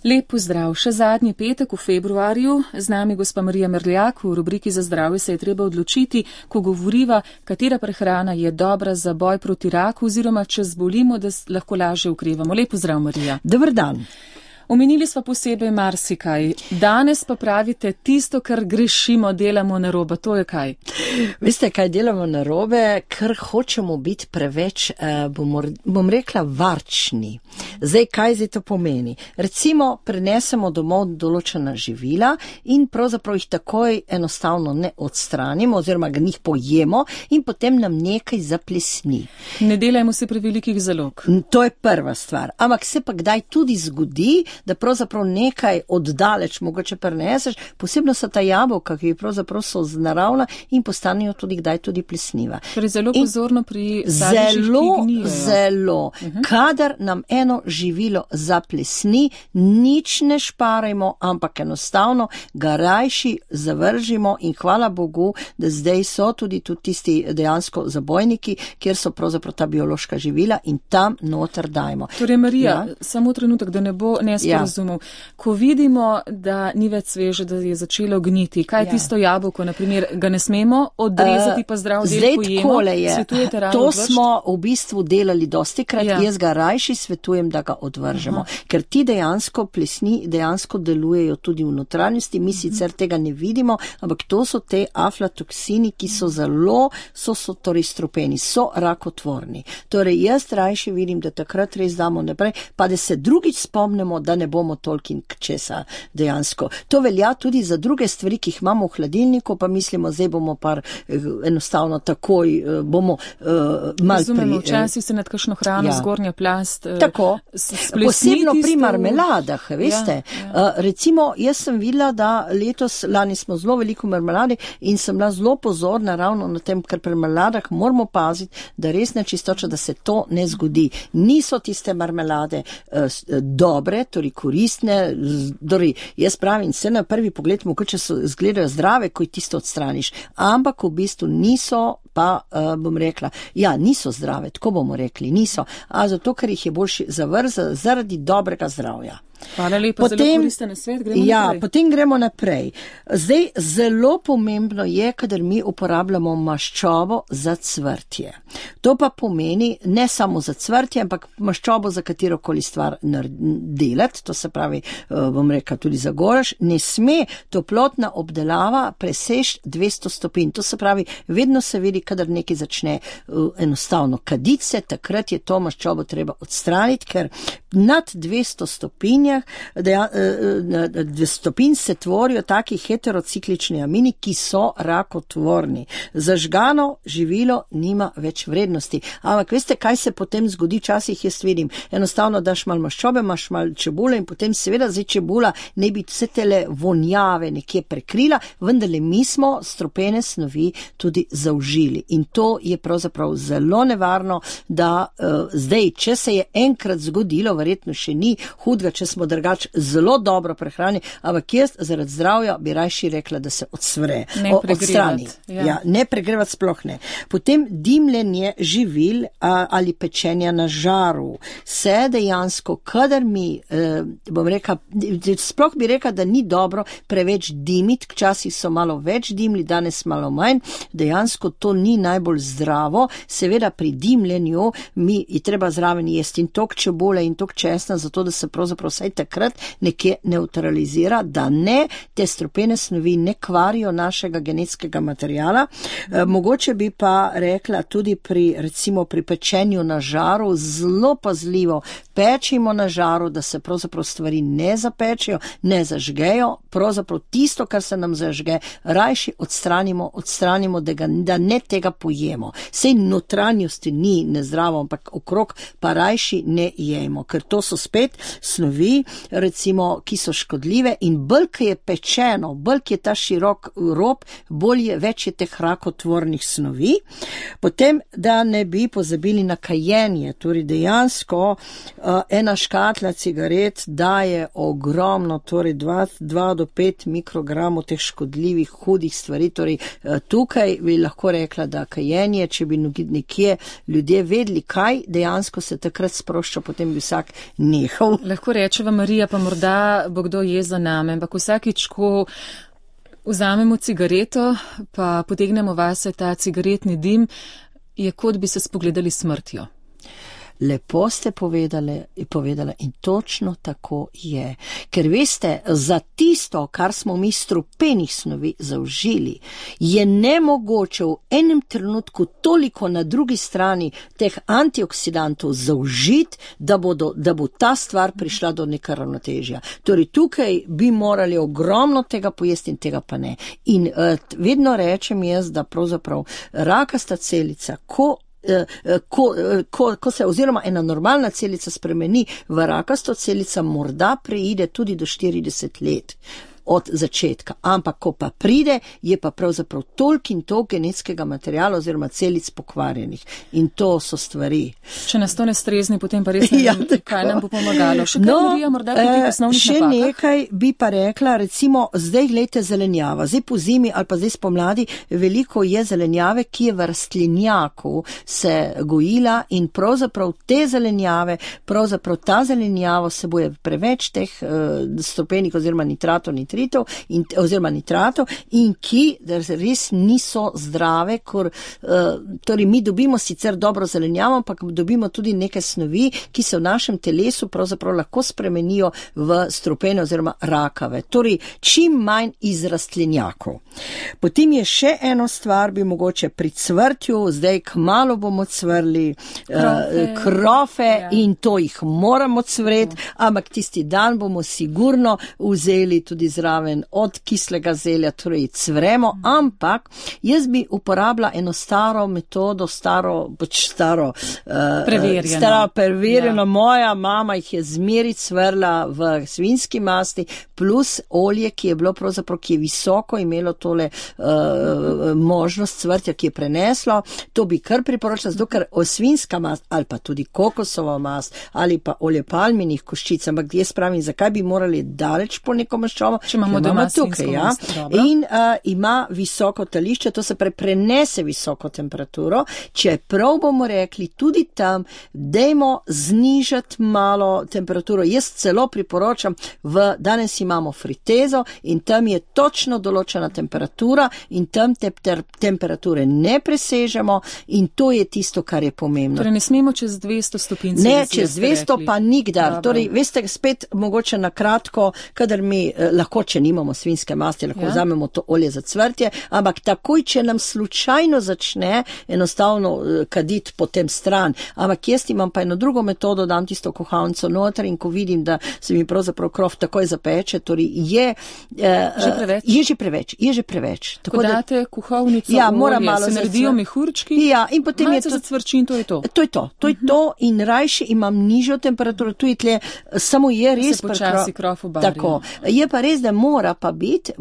Lep pozdrav, še zadnji petek v februarju, z nami gospa Marija Merljak, v rubriki Za zdravje se je treba odločiti, ko govoriva, katera prehrana je dobra za boj proti raku oziroma če zbolimo, da lahko lažje ukrevamo. Lep pozdrav, Marija. Dober dan. Omenili smo posebej marsikaj. Danes pa pravite, tisto, kar grešimo, delamo narobe. To je kaj? Veste, kaj delamo narobe? Ker hočemo biti preveč, bom rekla, varčni. Zdaj, kaj zdaj to pomeni? Recimo, prenesemo domov določena živila in pravzaprav jih takoj enostavno ne odstranimo oziroma ga njih pojemo in potem nam nekaj zaplesni. Ne delajmo se prevelikih zalog. To je prva stvar. Ampak se pa kdaj tudi zgodi, da pravzaprav nekaj oddaleč mogoče preneseš, posebno so ta jabolka, ki pravzaprav so naravna in postanejo tudi kdaj tudi plesniva. Torej zelo pozorno pri sadežih, ki gnijejo. Zelo. Kadar nam eno živilo zaplesni, nič ne šparajmo, ampak enostavno ga rajši zavržimo in hvala Bogu, da zdaj so tudi tisti dejansko zabojniki, kjer so pravzaprav ta biološka živila in tam noter dajmo. Torej Marija, samo trenutek, da ne bo nesporazumov. Ko vidimo, da ni več sveže, da je začelo gniti, kaj tisto jabolko, naprimer, ga ne smemo odrezati, pa zdrav del pojemo? Svetujete ravno to smo v bistvu delali dostikrat, jaz ga rajši svetujem, da ga odvržemo. Ker ti dejansko plesni dejansko delujejo tudi v notranjosti, mi sicer tega ne vidimo, ampak to so te aflatoksini, ki so zelo, torej strupeni, so rakotvorni. Torej jaz rajši vidim, da takrat res damo naprej, pa da se drugič spomnimo, da ne bomo tolkin česa dejansko. To velja tudi za druge stvari, ki jih imamo v hladilniku, pa mislimo, zdaj bomo enostavno takoj bomo Razumemo, včasih se nad kakšno hrano zgornja plast tako, posebno pri marmeladah, veste. Recimo, jaz sem videla, da lani smo zelo veliko marmelade in sem bila zelo pozorna ravno na tem, ker pri marmeladah moramo paziti, da res nečistoča, da se to ne zgodi. Niso tiste marmelade dobre, torej koristne, jaz pravim, se na prvi pogled mogoče izgledajo zdrave, ko jih tisto odstraniš, ampak v bistvu niso, pa bom rekla, niso zdrave, tako bomo rekli, niso, zato ker jih je boljši zavrzati zaradi dobrega zdravja. Hvala lepa, zelo koristen svet, gremo naprej. Potem gremo naprej. Zdaj, zelo pomembno je, kadar mi uporabljamo maščobo za cvrtje. To pa pomeni ne samo za cvrtje, ampak maščobo za katerokoli stvar delati, to se pravi, bom rekla tudi za goraš, ne sme toplotna obdelava preseči 200 stopinj. To se pravi, vedno se vidi, kadar nekaj začne enostavno kaditi se, takrat je to maščobo treba odstraniti, ker nad 200 stopinjah stopinj se tvorijo taki heterociklični amini, ki so rakotvorni. Zažgano živilo nima več vrednosti. Ampak veste, kaj se potem zgodi? Včasih jaz vidim, enostavno daš malo maščobe, imaš malo čebule in potem seveda zdaj čebula ne bi vse tele vonjave nekje prekrila, vendarle mi smo strupene snovi tudi zaužili. In to je pravzaprav zelo nevarno, da zdaj, če se je enkrat zgodilo, verjetno še ni hudega, če smo drugač zelo dobro prehrani, ampak jaz zaradi zdravja bi rajši rekla, da se odstrani. Ne pregrevati sploh ne. Potem dimljenje živil ali pečenja na žaru. Se dejansko, kadar mi, bom rekla, sploh bi rekla, da ni dobro preveč dimiti, včasih so malo več dimli, danes malo manj, dejansko to ni najbolj zdravo. Seveda pri dimljenju mi je treba zraven jesti in tok čebule in tok česna, zato da se pravzaprav vsaj takrat nekje neutralizira, da ne te strupene snovi ne kvarijo našega genetskega materijala. Mogoče bi pa rekla tudi recimo pri pečenju na žaru, zelo pazljivo pečimo na žaru, da se pravzaprav stvari ne zapečejo, ne zažgejo, pravzaprav tisto, kar se nam zažge, rajši odstranimo, da ne tega pojemo. Sej notranjosti ni nezdravo, ampak okrog pa rajši ne jemo, ker to so spet snovi, recimo, ki so škodljive in bolj, ki je pečeno, bolj, ki je ta širok rob, bolj je več je teh rakotvornih snovi. Potem, da ne bi pozabili na kajenje, torej dejansko ena škatla cigaret daje ogromno, torej 2 do 5 mikrogramov teh škodljivih, hudih stvari, torej tukaj bi lahko rekla, rekla, da kajenje, če bi nekje ljudje vedeli, kaj dejansko se takrat sprošča, potem bi vsak nehal. Lahko rečeva, Marija, pa morda bo kdo je za name, ampak vsakič, ko vzamemo cigareto, pa potegnemo vase ta cigaretni dim, je kot bi se spogledali smrtjo. Lepo ste povedala in točno tako je. Ker veste, za tisto, kar smo mi strupenih snovi zaužili, je nemogoče v enem trenutku toliko na drugi strani teh antioksidantov zaužiti, da bo ta stvar prišla do neka ravnotežja. Torej tukaj bi morali ogromno tega pojesti in tega pa ne. In vedno rečem jaz, da pravzaprav rakasta celica, ko se oziroma ena normalna celica spremeni v rakasto celica, morda preide tudi do 40 let od začetka. Ampak, ko pa pride, je pa pravzaprav toliko in toliko genetskega materiala oziroma celic pokvarjenih. In to so stvari. Če nas to ne strezni, potem pa res ne vem, kaj nam bo pomagalo. Še kaj, Marija, morda pri teh osnovnih napakah? Še nekaj bi pa rekla, recimo, zdaj glejte zelenjava. Zdaj po zimi ali pa zdaj spomladi veliko je zelenjave, ki je v rastlinjaku se gojila in pravzaprav te zelenjave, ta zelenjava vsebuje preveč teh strupenih oziroma nitratov in ki res niso zdrave, torej mi dobimo sicer dobro zelenjavo, ampak dobimo tudi neke snovi, ki se v našem telesu pravzaprav lahko spremenijo v strupene oziroma rakave. Torej, čim manj iz rastlinjakov. Potem je še eno stvar, bi mogoče pri cvrtju, zdaj kmalu bomo cvrli krofe in to jih moramo cvreti, ampak tisti dan bomo sigurno vzeli tudi zraven od kislega zelja, torej cvremo, ampak jaz bi uporabila eno staro metodo, preverjeno. Moja mama jih je zmeri cvrla v svinjski masti, plus olje, ki je bilo pravzaprav, ki je visoko imelo tole možnost cvrtja, ki je preneslo. To bi kar priporočila, zato ker svinjska mast ali pa tudi kokosova mast ali pa olje palminih koščic, ampak jaz pravim, zakaj bi morali daleč po neko maščobo, če imamo doma tukaj, ja. In ima visoko tališče, to se prenese visoko temperaturo. Čeprav bomo rekli tudi tam, dajmo znižati malo temperaturo. Jaz celo priporočam, danes imamo fritezo in tam je točno določena temperatura in tam temperature ne presežemo in to je tisto, kar je pomembno. Torej ne smemo čez 200 stopinj Celzija. Ne, čez 200 pa nikdar. Dobro. Torej, veste, spet mogoče na kratko, kadar mi lahko, če nimamo svinjske masti, lahko vzamemo to olje za cvrtje, ampak takoj, če nam slučajno začne enostavno kaditi potem stran. Ampak jaz imam pa eno drugo metodo, dam tisto kuhalnico noter in ko vidim, da se mi pravzaprav krof takoj zapeče, torej je že preveč. Tako date kuhalnico olje, se naredijo mehurčki, in potem malce zacvrči in to je to. To je to in rajši imam nižjo temperaturo, tu je tle, samo je res se počasi krof obari. Tako. Je pa res, da mora pa biti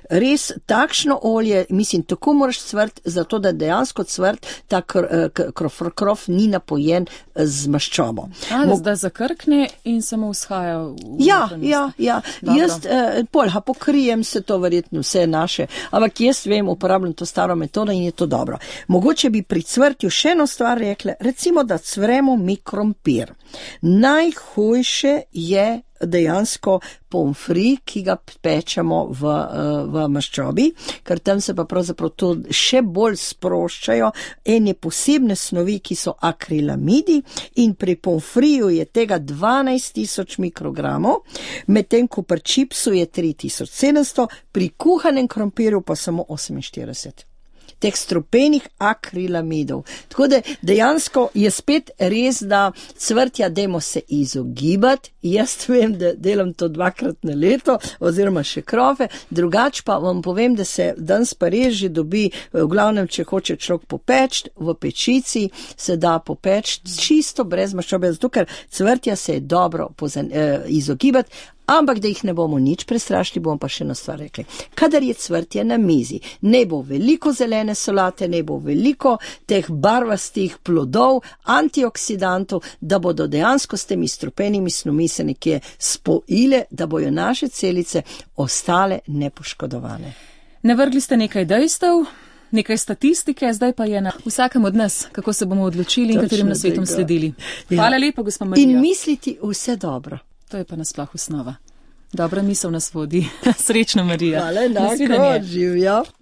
res takšno olje, mislim, tako moraš cvrt, zato da dejansko cvrt, ta krof ni napojen z maščobo. Da zakrkne in samo vzhaja v Ja. Jaz pokrijem se to verjetno vse naše, ampak jaz vem, uporabljam to staro metodo in je to dobro. Mogoče bi pri cvrtju še eno stvar rekla, recimo, da cvremo mi krompir. Najhujše je dejansko pomfri, ki ga pečemo v maščobi, ker tam se pa pravzaprav to še bolj sproščajo ene posebne snovi, ki so akrilamidi in pri pomfriju je tega 12.000 mikrogramov, medtem ko pri čipsu je 3.700, pri kuhanem krompirju pa samo 48. Teh strupenih akrilamidov. Tako da dejansko je spet res, da cvrtja dajmo se izogibati. Jaz vem, da delam to 2krat na leto oziroma še krofe, drugač pa vam povem, da se danes pa res že dobi, v glavnem, če hoče človek popeč, v pečici se da popeč čisto brez maščobe, zato ker cvrtja se je dobro izogibati. Ampak, da jih ne bomo nič prestrašili, bomo pa še eno stvar rekli. Kadar je cvrtje na mizi, ne bo veliko zelene solate, ne bo veliko teh barvastih plodov, antioksidantov, da bodo dejansko s temi strupenimi snovmi se nekje spojile, da bojo naše celice ostale nepoškodovane. Navrgli ste nekaj dejstev, nekaj statistike, zdaj pa je na vsakem od nas, kako se bomo odločili in katerim nasvetom sledili. Hvala lepa, gospa Marija. In misliti vse dobro. To je pa nasploh osnova. Dobra misel nas vodi. Srečno, Marija. Hvala, enako, živjo.